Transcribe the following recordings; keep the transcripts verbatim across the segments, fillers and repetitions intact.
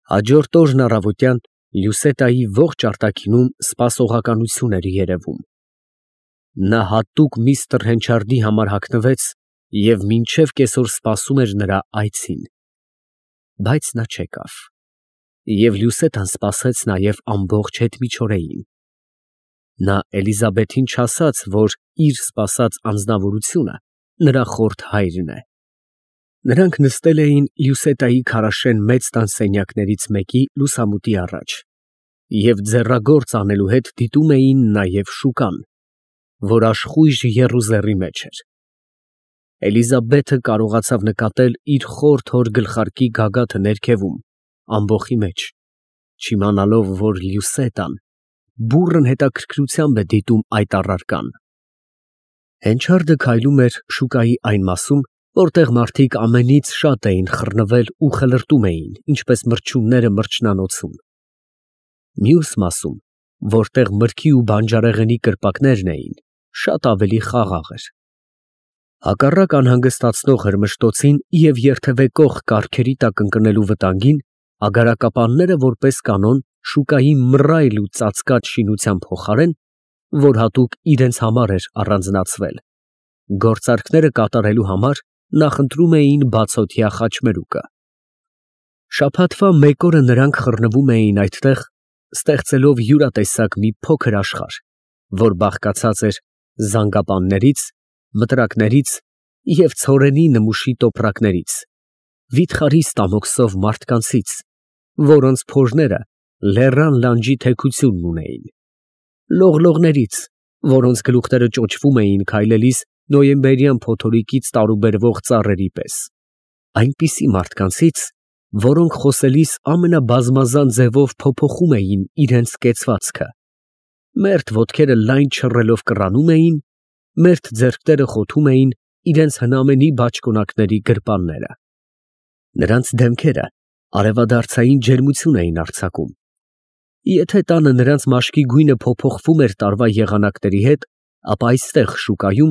Հաջորդ օրն առավոտյան Լյուսետայի ողջ արտաքինում սպասողականություն էր երևում. նա հատուկ միստր Հենչարդի համար հագնվեց և մինչև կեսօր սպասում էր նրա այցին, բայց նա չեկավ, և Լյուսետան սպասեց նաև ամբողջ հետմիջօրեին. նա Էլիզաբեթին չասաց, որ իր սպասած անձնավորությունը նրա խորթ հայրն է. նրանք նստել էին Լյուսետայի քարաշեն մեծ տան սենյակներից մեկի լուսամուտի առաջ և ձեռագործ անելու հետ դիտում էին նաև շուկան, որ աշխույժ եռուզեռի մեջ էր։ Էլիզաբեթը կարողացավ նկատել իր խորթ հոր գլխարկի գագաթը ներքևում, ամբոխի մեջ, չիմանալով, որ Լյուսետան բուռն հետաքրքրությամբ է դիտում այդ առարկան։ Հենչարդը քայլում էր շուկայի այն մասում, որտեղ մարդիկ ամենից շատ էին խռնվել ու խլրտում էին, ինչպես մրջյունները մրջնանոցում։ Մյուս մասում, որտեղ մրգի ու բանջարեղենի կրպակներն էին, շատ ավելի խաղաղ էր։ Հակառակ անհանգստացնող հրմշտոցին և երթևեկող կառքերի տակ ընկնելու վտանգին, ագարակապանները որպես կանոն շուկայի մռայլ ու ծածկած շինության փոխարեն, որ հատուկ իրենց համար էր առանձնացվել, գործարքները կատարելու համար նախընտրում էին բացօթյա խաչմերուկը։ Շաբաթվա մեկ օրը նրանք խռնվում էին այդտեղ, ստեղծելով յուրատեսակ մի փոքր աշխարհ, որ բաղկացած էր զանգապաններից, մտրակներից և ցորենի նմուշի տոպրակներից, վիթխարի ստամոքսով մարդկանցից, որոնց փորները լեռան լանջի թեքությունն ունեին, լողլողներից, որոնց գլուխները ճոճվում էին քայլելիս նոյեմբերյան փոթորիկից տարուբերվող ծառերի պես, այնպիսի մարդկանցից, որոնք խոսելիս ամենաբազմազան ձևով փոփոխում էին իրենց կեցվածքը, մերթ ոտքերը լայն չռելով կռանում էին, մերթ ձեռքերը խոթում էին իրենց հնամենի բաճկոնակների գրպանները։ Նրանց դեմքերը արևադարձային ջերմություն էին արձակում։ Եթե տանը նրանց մաշկի գույնը փոփոխվում էր տարվա եղանակների հետ, ապա այստեղ շուկայում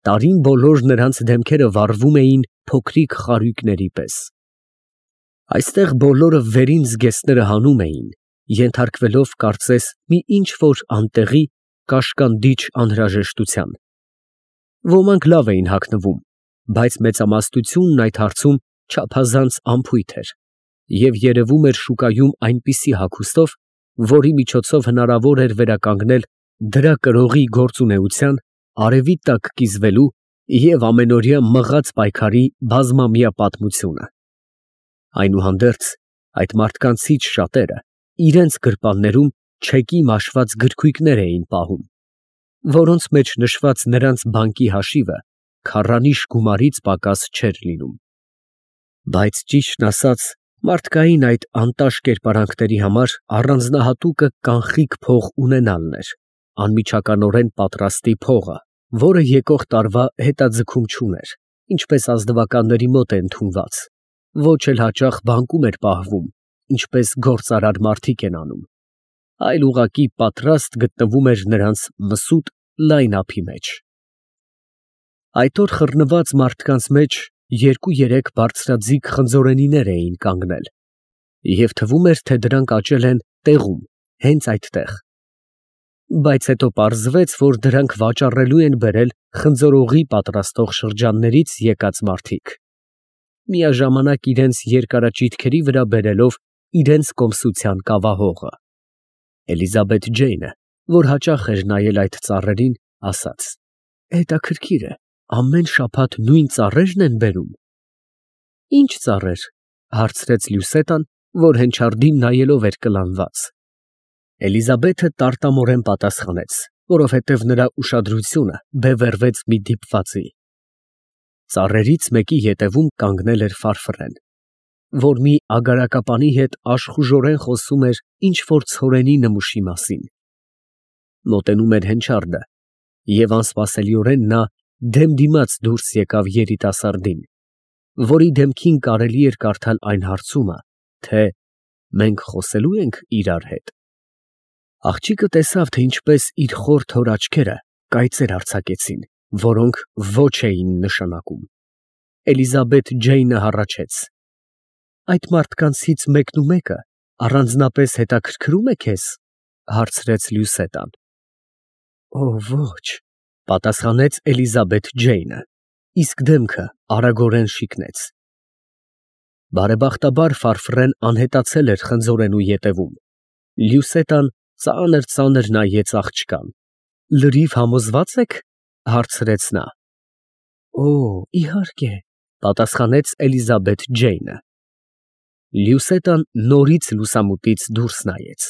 տարին բոլոր նրանց դեմքերը վառվում էին փոքրիկ խարույկների պես։ Այստեղ բոլորը վերին զգեստները հանում էին, ենթարկվելով կարծես մի ինչ֊որ անտեղի, կաշկանդիչ անհրաժեշտության։ Ոմանք լավ էին հագնվում, բայց մեծամասնությունն այդ հարցում չափազանց անփույթ էր, և երևում էր շուկայում այնպիսի հագուստով, որի միջոցով հնարավոր էր վերականգնել դրա կրողի գործունեության, արևի տակ կիզվելու և ամենօրյա մղած պայքարի բազմամյա պատմությունը։ Այնուհանդերձ, այդ մարդկանցից շատերը իրենց գրպաններում չեկի մաշված գրքույկներ էին պահում, որոնց մեջ նշված նրանց բանկի հաշիվը քառանիշ գումարից պակաս չէր լինում։ Բայց ճիշտն ասած, մարդկային այդ անտաշ կերպարանքների համար առանձնահատուկը կանխիկ փող ունենալն էր, անմիջականորեն պատրաստի փողը, որը եկող տարվա հետաձգում չուներ, ինչպես ազնվականների մոտ է ընդունված, ոչ էլ հաճախ բանկում էր պահվում, ինչպես գործարար մարդիկ են անում, այլ ուղղակի պատրաստ գտնվում էր նրանց մսուտ լայն ափի մեջ։ Այդ օր խռնված մարդկանց մեջ երկու֊երեք բարձրաձիգ խնձորենիներ էին կանգնել, և թվում էր, թե դրանք աճել են տեղում, հենց այդտեղ։ Բայց հետո պարզվեց, որ դրանք վաճառելու են բերել խնձորողի պատրաստող շրջաններից եկած մարդիկ, միաժամանակ իրենց երկարաճիթքերի վրա բերելով իրենց կոմսության կավահողը։ Էլիզաբեթ Ջեյնը, որ հաճախ էր նայել այդ ծառերին, ասաց. «Հետաքրքիր է, ամեն շաբաթ նույն ծառե՞րն են բերում»։ «Ի՞նչ ծառեր», հարցրեց Լյուսետան, որ Հենչարդին նայելով էր կլանված։ Էլիզաբեթը տարտամորեն պատասխանեց, որովհետև նրա ուշադրությունը բևեռվեց մի դիպվածի։ Ծառերից մեկի ետևում կանգնել էր Ֆարֆռեն, որ մի ագարակապանի հետ աշխուժորեն խոսում էր ինչ֊որ ցորենի նմուշի մասին։ Մոտենում էր Հենչարդը, և անսպասելիորեն նա դեմ դիմաց դուրս եկավ երիտասարդին, որի դեմքին կարելի էր կարդալ այն հարցումը, թե «մենք խոսելո՞ւ ենք իրար հետ»։ Աղջիկը տեսավ, թե ինչպես իր խորթ հոր աչքերը կայծեր արձակեցին, որոնք ոչ էին նշանակում։ Էլիզաբեթ Ջեյնը հառաչեց. «Այդ մարդկանցից մեկնումեկը Առանձնապես հետաքրքրում է քեզ, հարցրեց Լյուսետան։ Օ, ոչ, պատասխանեց Էլիզաբեթ Ջեյնը, իսկ դեմքը արագորեն շիկնեց։ Բարեբախտաբար Ֆարֆրեն անհետացել էր խնձորենու ետևում։ Լյուսետան ծանր֊ծանր նայեց աղջկան։ Լրիվ համոզվա՞ծ եք, հարցրեց նա։ Օ, իհարկե, պատասխանեց Էլիզաբեթ Ջեյնը։ Լյուսետան նորից լուսամուտից դուրս նայեց։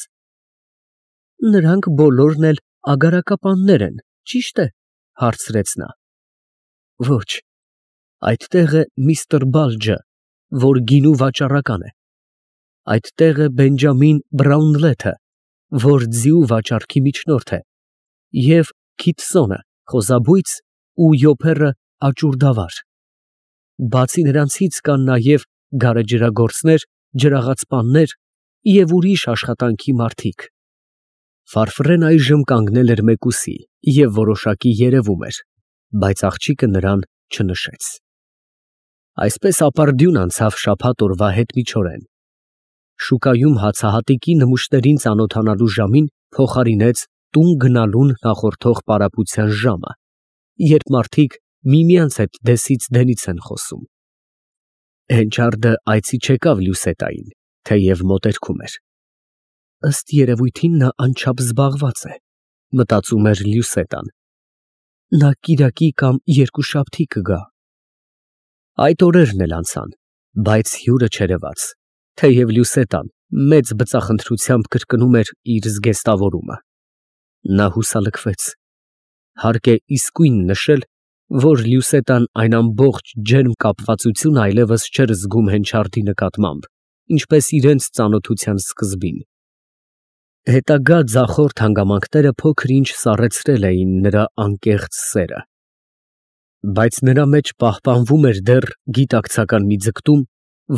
Նրանք բոլորն էլ ագարակապաններ են, ճիշտ է, հարցրեց նա։ Ոչ, այդտեղ է միստր Բալջը, որ գինու վաճառական է։ Այդտեղ է Բենջամին Բրաունլեթը, որ ձիու վաճառքի միջնորդ է, և Քիթսոնը, խոզաբույծ, ու Յոփերը աճուրդավար։ Բացի նրանցից կան նաև գարեջրագործներ, ջրաղացպաններ և ուրիշ աշխատանքի մարդիկ։ Ֆարֆրեն այժմ կանգնել էր մեկուսի և որոշակի երևում էր, բայց աղջիկը նրան չնշեց։ Այսպես ապարդյուն անցավ շաբաթ օրվա հետմիջօրեն։ Շուկայում հացահատիկի նմուշներին ծանոթանալու ժամին փոխարինեց տուն գնալուն նախորդող պարապության ժամը, երբ մարդիկ միմյանց հետ դեսից դենից են խոսում։ Հենչարդը այցի չեկավ Լյուսետային, թեև մոտերքում էր։ Ըստ երևույթին նա անչափ զբաղված է, մտածում էր Լյուսետան։ Նա կիրակի կամ երկուշաբթի կգա։ Այդ օրերն էլ անցան, բայց հյուրը չերևաց, թեև Լյուսետան մեծ բծախնդրությամբ կրկնում էր իր զգեստավորումը։ Նա հուսալքվեց։ Հարկ է իսկույն նշել, որ Լյուսետան այն ամբողջ ջերմ կապվածությունը այլևս չէր զգում Հենչարդի նկատմամբ, ինչպես իրենց ծանոթության սկզբին։ Հետագա ձախորդ հանգամանքները փոքր-ինչ սառեցրել էին նրա անկեղծ սերը։ Բայց նրա մեջ պահպանվում էր դեռ գիտակցական մի ձգտում,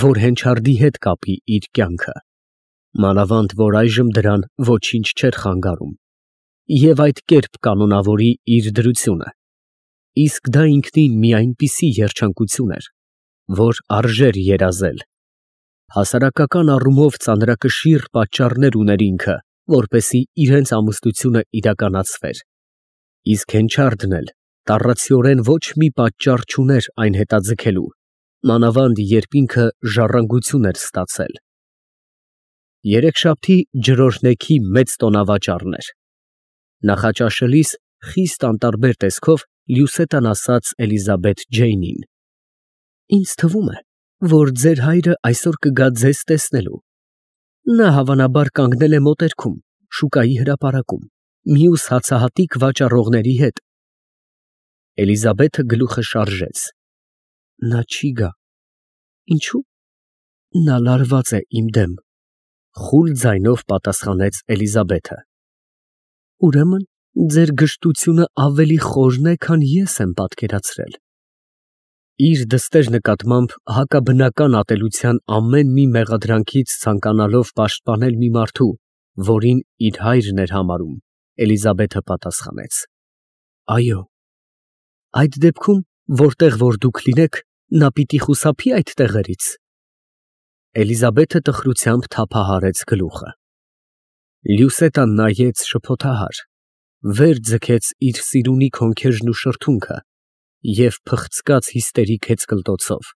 որ Հենչարդի հետ կապի իր կյանքը, մանավանդ որ այժմ դրան ոչինչ չէր խանգարում, և այդ կերպ կանոնավորի իր դրությունը, իսկ դա ինքնին մի այնպիսի երջանկություն էր, որ արժեր երազել։ Հասարակական առումով ծանրակշիռ պատճառներ ուներ ինքը, որպեսզի իրենց ամուսնությունը իրականացվեր, իսկ Հենչարդն էլ տառացիորեն ոչ մի պատճառ չուներ այն հետաձգելու, մանավանդ երբ ինքը ժառանգություն էր ստացել։ Երեքշաբթի ջրօրհնեքի մեծ տոնավաճառն էր։ Նախաճաշելիս խիստ անտարբեր տեսքով Լյուսետան ասաց Էլիզաբեթ Ջեյնին. Ինձ թվում է, որ ձեր հայրը այսօր կգա ձեզ տեսնելու։ Նա հավանաբար կանգնել է մոտերքում, շուկայի հրապարակում, մյուս հացահատիկ վաճառողների հետ։ Էլիզաբեթը գլուխը շարժեց։ Նա չի գա։ Ինչու՞։ Նա լարված է իմ դեմ, խուլ ձայնով պատասխանեց Էլիզաբեթը։ Ուրեմն ձեր գժտությունը ավելի խորն է, քան ես եմ պատկերացրել։ Իր դստեր նկատմամբ հակաբնական ատելության ամեն մի մեղադրանքից ցանկանալով պաշտպանել մի մարդու, որին իր հայրն էր համարում, Էլիզաբեթը պատասխանեց. Այո։ Այդ դեպքում, որտեղ որ դուք լինեք, նա պիտի խուսափի այդ տեղերից։ Էլիզաբեթը տխրությամբ թափահարեց գլուխը։ Լյուսետան նայեց շփոթահար, վեր ձգեց իր սիրունի քոնքերն ու շրթունքը և փխցկաց հիստերիկ հեծկլտոցով։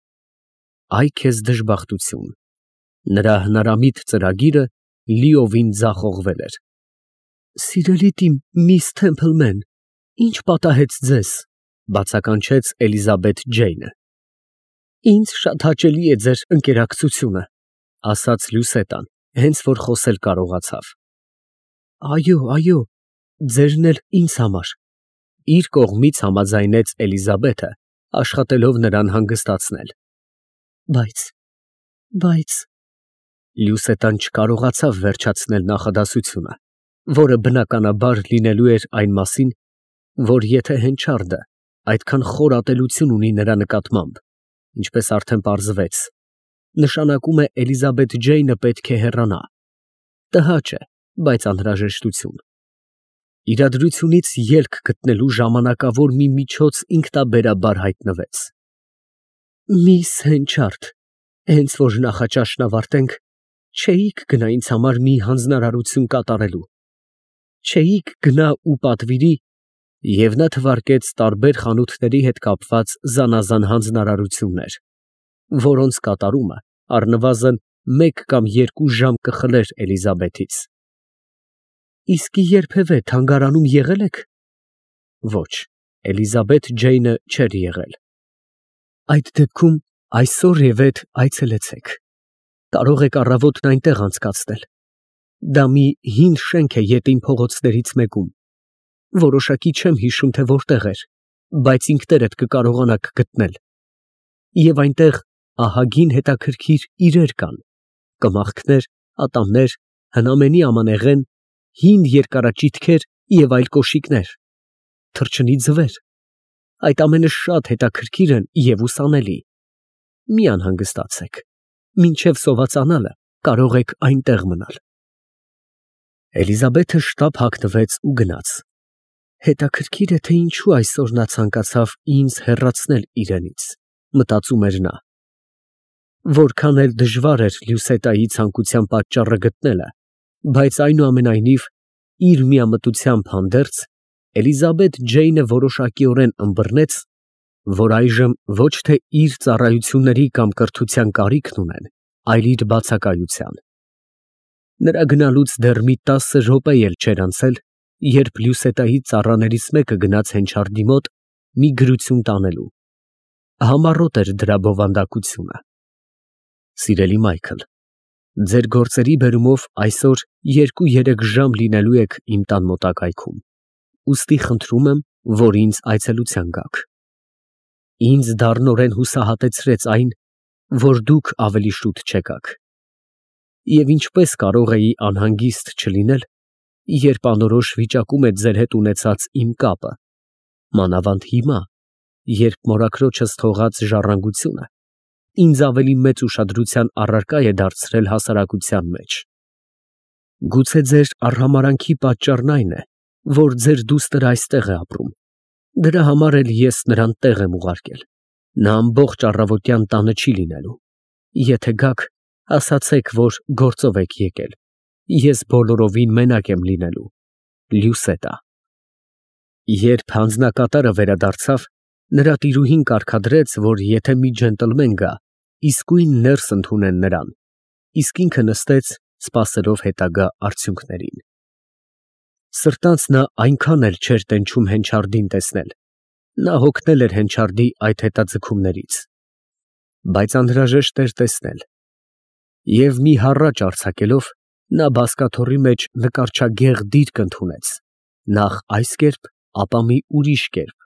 Այ քեզ դժբախտություն։ Նրա հնարամիտ ծրագիրը լիովին ձախողվել էր։ Սիրելիդ իմ միս Թեմփլմեն, ի՞նչ պատահեց ձեզ, բացականչեց Էլիզաբեթ Ջեյնը։ Ինձ շատ հաճելի է ձեր ընկերակցությունը, ասաց Լյուսետան, հենց որ խոսել կարողացավ։ Այո, այո, ձերն էլ ինձ համար, իր կողմից համաձայնեց Էլիզաբեթը, աշխատելով նրան հանգստացնել։ Բայց, բայց… Լյուսետան չկարողացավ վերջացնել նախադասությունը, որը բնականաբար լինելու էր այն մասին, որ եթե Հենչարդը այդքան խոր ատելություն ունի նրա նկատմամբ, ինչպես արդեն պարզվեց, նշանակում է Էլիզաբեթ Ջեյնը պետք է հեռանա։ Տհաճ է, բայց անհրաժեշտություն։ Իրադրությունից ելք գտնելու ժամանակավոր մի միջոց ինքնաբերաբար հայտնվեց։ Միս Հենչարդ, հենց որ նախաճաշն ավարտենք, Չէիք գնա ինձ համար մի հանձնարարություն կատարելու, չէիք գնա ու պատվիրի, և նա թվարկեց տարբեր խանութների հետ կապված զանազան հանձնարարություններ, որոնց կատարումը առնվազն մեկ կամ երկու ժամ կխլեր Էլիզաբեթից։ Իսկ երբևէ թանգարանում եղե՞լ եք։ Ոչ, Էլիզաբեթ Ջեյնը չէր եղել։ Այդ դեպքում այսօր և էդ այցելեցեք, կարող եք առավոտն այնտեղ անցկացնել, դա մի հին շենք է ետին փողոցներից մեկում, որոշակի չեմ հիշում, թե որտեղ էր, բայց ինքներդ կկարողանաք գտնել, և այնտեղ ահագին հետաքրքիր իրեր կան, կմախքներ, ատամներ, հնամենի ամանեղեն, հին երկարաճիթքեր և այլ կոշիկներ, թռչնի ձվեր, այդ ամենը շատ հետաքրքիր են և ուսանելի, մի անհանգստացեք, մինչև սովածանալը կարող եք այնտեղ մնալ։ Էլիզաբեթը շտապ հագնվեց ու գնաց։ Հետաքրքիր է, թե ինչու այսօր նա ցանկացավ ինձ հեռացնել իրենից, մտածում էր նա։ Որքան էլ դժվար էր Լյուսետայի ցանկության պատճառը գտնելը, բայց այնուամենայնիվ, իր միամտությամբ հանդերձ, Էլիզաբեթ Ջեյնը որոշակիորեն ըմբռնեց, որ այժմ ոչ թե իր ծառայությունների կամ կրթության կարիքն ունեն, այլ իր բացակայության։ Նրա գնալուց դեռ մի տասը րոպե էլ չէր անցել, երբ Լյուսետայի ծառաներից մեկը գնաց հենչարդի մոտ մի գրություն տանելու։ Համառոտ էր դրա բովանդակությունը։ Սիրելի Մայքլ, ձեր գործերի բերումով այսօր երկու֊երեք ժամ լինելու եք իմ տան մոտակայքում, ուստի խնդրում եմ, որ ինձ այցելության գաք։ Ինձ դառնորեն հուսահատեցրեց այն, որ դուք ավելի շուտ չեկաք։ Եվ ինչպես կարող էի անհանգիստ չլինել, երբ անորոշ վիճակում է ձեր հետ ունեցած իմ կապը, մանավանդ հիմա, երբ մորաքրոջս թողած ժառանգությունը ինձ ավելի մեծ ուշադրության առարկա է դարձրել հասարակության մեջ։ Գուցե ձեր արհամարհանքի պատճառն այն է, որ ձեր դուստր այստեղ է ապրում, դրա համար էլ ես նրան տեղ եմ ուղարկել, նա ամբողջ առավոտյան տանը չի լինելու, եթե գաք, ասացեք, որ գործով եք եկել, ես բոլորովին մենակ եմ լինելու, Լյուսետա։ Երբ հանձնակատարը վերադարձավ, նրա տիրուհին կարգադրեց, որ եթե մի ջենտլմեն գա, իսկույն ներս ընդունեն նրան, իսկ ինքը նստեց, սպասելով հետագա արդյունքներին։ Սրտանց նա այնքան էլ չէր տենչում հենչարդին տեսնել, նա հոգնել էր հենչարդի այդ հետաձգումներից, բայց անհրաժեշտ էր տեսնել, և մի հառաչ արձակելով, նա բազկաթոռի մեջ նկարչագեղ դիրք ընդունեց, նախ այս կերպ, ապա մի ուրիշ կերպ,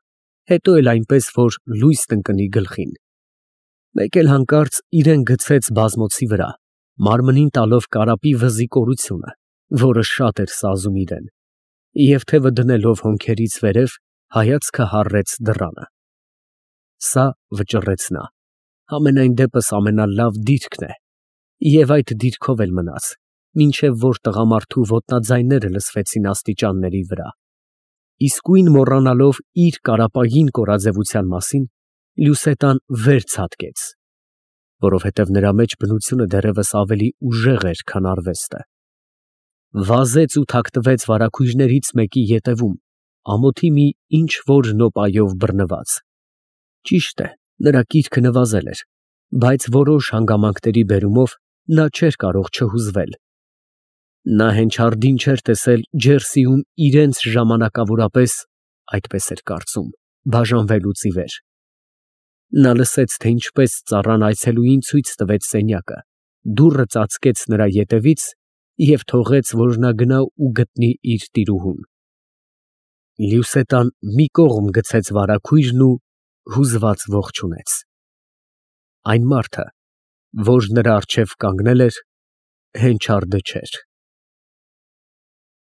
հետո էլ այնպես, որ լույս տնկնի գլխին, մեկ էլ հանկարծ իրան գցեց բազմոցի վրա, մարմնին տալով կարապի վզի կորությունը, որը շատ էր սազում իրան, և թևը դնելով հոնքերից վերև, հայացքը հառեց դռանը։ Սա, վճռեց նա, համենայն դեպս ամենալավ դիրքն է, և այդ դիրքով էլ մնաց, մինչև որ տղամարդու ոտնաձայները լսվեցին աստիճանների վրա։ Իսկույն մոռանալով իր կարապային կորաձևության մասին, Լյուսետան վեր ցատկեց, որովհետև նրա մեջ բնությունը դեռևս ավելի ուժեղ էր, քան արվեստը։ Վազեց ու թաքնվեց վարագույրներից մեկի ետևում, ամոթի մի ինչ֊որ նոպայով բռնված։ Ճիշտ է, նրա կիրքը նվազել էր, բայց որոշ հանգամանքների բերումով նա չէր կարող չհուզվել։ Նա հենչարդին չէր տեսել Ջերսիում իրենց ժամանակավորապես, այդպես էր կարծում, բաժանվելուց ի վեր։ Նա լսեց, թե ինչպես ծառան այցելուին ցույց տվեց սենյակը, դուռը ծածկեց նրա ետևից և թողեց, որ նա գնա ու գտնի իր տիրուհուն։ Լյուսետան մի կողմ գցեց վարագույրն ու հուզված ողջունեց։ Այն մարդը, որ նրա առջև կանգնել էր, հենչարդը չէր։